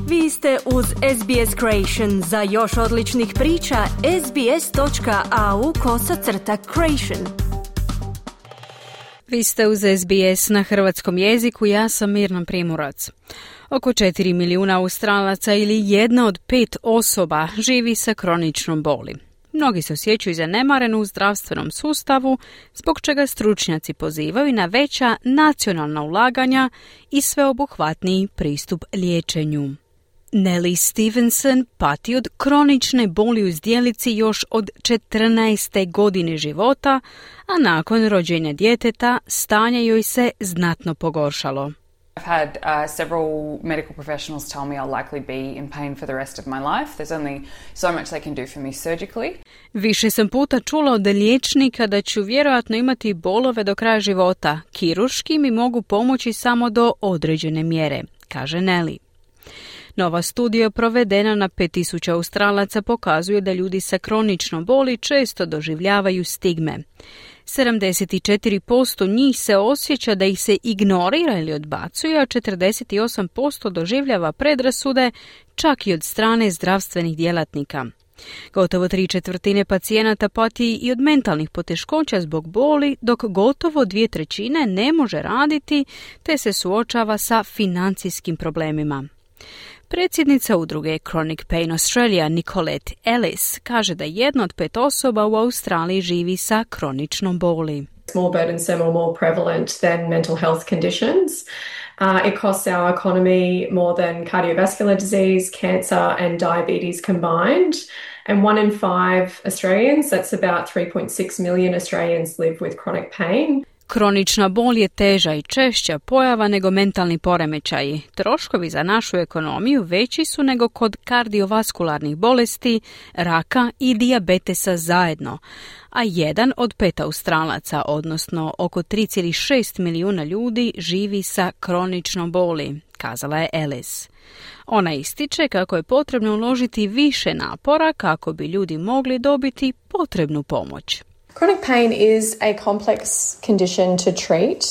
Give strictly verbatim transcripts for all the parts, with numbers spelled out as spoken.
Vi ste uz S B S Creation. Za još odličnih priča, sbs.au kosacrta creation. Vi ste uz S B S na hrvatskom jeziku, ja sam Mirna Primorac. Oko četiri milijuna Australaca ili jedna od pet osoba živi sa kroničnom boli. Mnogi se osjećaju zanemareni u zdravstvenom sustavu, zbog čega stručnjaci pozivaju na veća nacionalna ulaganja i sveobuhvatniji pristup liječenju. Nellie Stevenson pati od kronične boli u zdjelici još od četrnaeste godine života, a nakon rođenja djeteta stanje joj se znatno pogoršalo. I've had uh, several medical professionals tell me I'll likely be in pain for the rest of my life. There's only so much they can do for me surgically. Više sam puta čula od liječnika da ću vjerojatno imati bolove do kraja života. Kirurški mi mogu pomoći samo do određene mjere, kaže Nellie. Nova studija provedena na pet tisuća Australaca pokazuje da ljudi sa kroničnom boli često doživljavaju stigme. sedamdeset četiri posto njih se osjeća da ih se ignorira ili odbacuje, a četrdeset osam posto doživljava predrasude čak i od strane zdravstvenih djelatnika. Gotovo tri četvrtine pacijenata pati i od mentalnih poteškoća zbog boli, dok gotovo dvije trećine ne može raditi te se suočava sa financijskim problemima. Predsjednica udruge Chronic Pain Australia Nicolette Ellis kaže da jedna od pet osoba u Australiji živi sa kroničnom boli. It's more burdensome or more prevalent than mental health conditions. Uh, it costs our economy more than cardiovascular disease, cancer and diabetes combined. And one in five Australians, that's about three point six million Australians, live with chronic pain. Kronična bol je teža i češća pojava nego mentalni poremećaji. Troškovi za našu ekonomiju veći su nego kod kardiovaskularnih bolesti, raka i dijabetesa zajedno. A jedan od pet Australaca, odnosno oko tri zarez šest milijuna ljudi, živi sa kroničnom boli, kazala je Ellis. Ona ističe kako je potrebno uložiti više napora kako bi ljudi mogli dobiti potrebnu pomoć. Chronic pain is a complex condition to treat,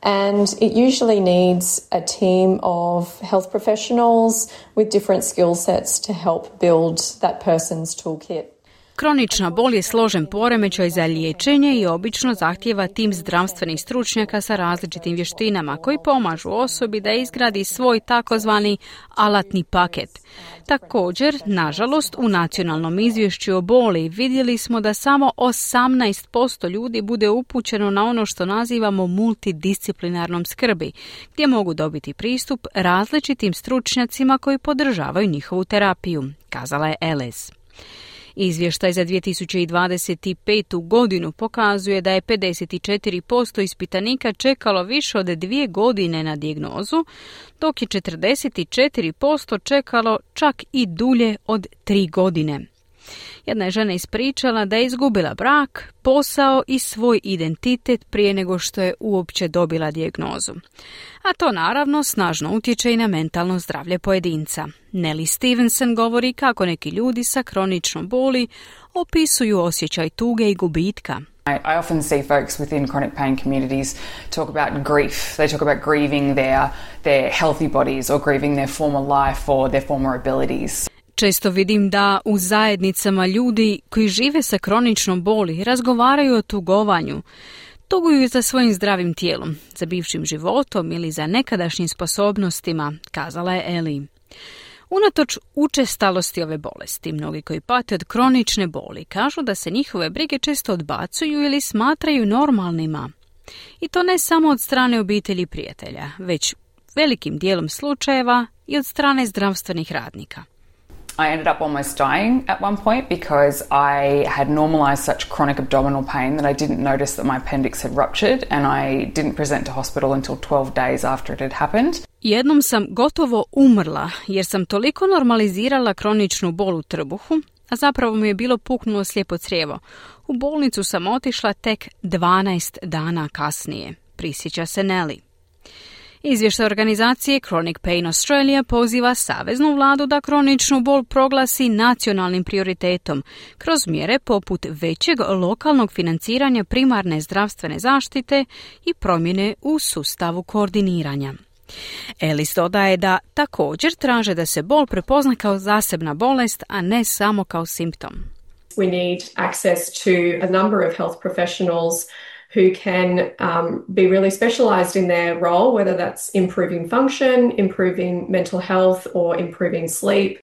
and it usually needs a team of health professionals with different skill sets to help build that person's toolkit. Kronična bol je složen poremećaj za liječenje i obično zahtijeva tim zdravstvenih stručnjaka sa različitim vještinama koji pomažu osobi da izgradi svoj takozvani alatni paket. Također, nažalost, u nacionalnom izvješću o boli vidjeli smo da samo osamnaest posto ljudi bude upućeno na ono što nazivamo multidisciplinarnom skrbi, gdje mogu dobiti pristup različitim stručnjacima koji podržavaju njihovu terapiju, kazala je Ellis. Izvještaj za dvije tisuće dvadeset petu godinu pokazuje da je pedeset četiri posto ispitanika čekalo više od dvije godine na dijagnozu, dok je četrdeset četiri posto čekalo čak i dulje od tri godine. Jedna je žena ispričala da je izgubila brak, posao i svoj identitet prije nego što je uopće dobila dijagnozu. A to naravno snažno utječe i na mentalno zdravlje pojedinca. Nellie Stevenson govori kako neki ljudi sa kroničnom boli opisuju osjećaj tuge i gubitka. I often see folks within chronic pain communities talk about grief. They talk about grieving their, their healthy bodies or grieving their former life or their former abilities. Često vidim da u zajednicama ljudi koji žive sa kroničnom boli razgovaraju o tugovanju. Tuguju za svojim zdravim tijelom, za bivšim životom ili za nekadašnjim sposobnostima, kazala je Ellie. Unatoč učestalosti ove bolesti, mnogi koji pate od kronične boli kažu da se njihove brige često odbacuju ili smatraju normalnima. I to ne samo od strane obitelji i prijatelja, već velikim dijelom slučajeva i od strane zdravstvenih radnika. I ended up almost dying at one point because I had normalized such chronic abdominal pain that I didn't notice that my appendix had ruptured and I didn't present to hospital until twelve days after it had happened. Jednom sam gotovo umrla jer sam toliko normalizirala kroničnu bol u trbuhu, a zapravo mi je bilo puknulo slijepo crijevo. U bolnicu sam otišla tek dvanaest dana kasnije, prisjeća se Nellie. Izvještaj organizacije Chronic Pain Australia poziva saveznu vladu da kroničnu bol proglasi nacionalnim prioritetom kroz mjere poput većeg lokalnog financiranja primarne zdravstvene zaštite i promjene u sustavu koordiniranja. Ellis dodaje da također traže da se bol prepozna kao zasebna bolest, a ne samo kao simptom. We need access to a number of health professionals who can um, be really specialised in their role, whether that's improving function, improving mental health or improving sleep.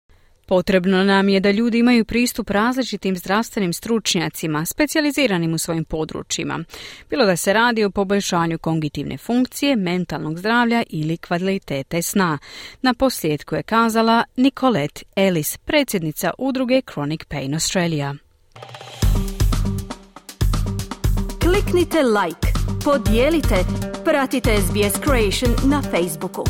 Potrebno nam je da ljudi imaju pristup različitim zdravstvenim stručnjacima, specijaliziranim u svojim područjima, bilo da se radi o poboljšanju kognitivne funkcije, mentalnog zdravlja ili kvalitete sna. Na posljedku je kazala Nicolette Ellis, predsjednica udruge Chronic Pain Australia. Kliknite like, podijelite, pratite S B S Creation na Facebooku.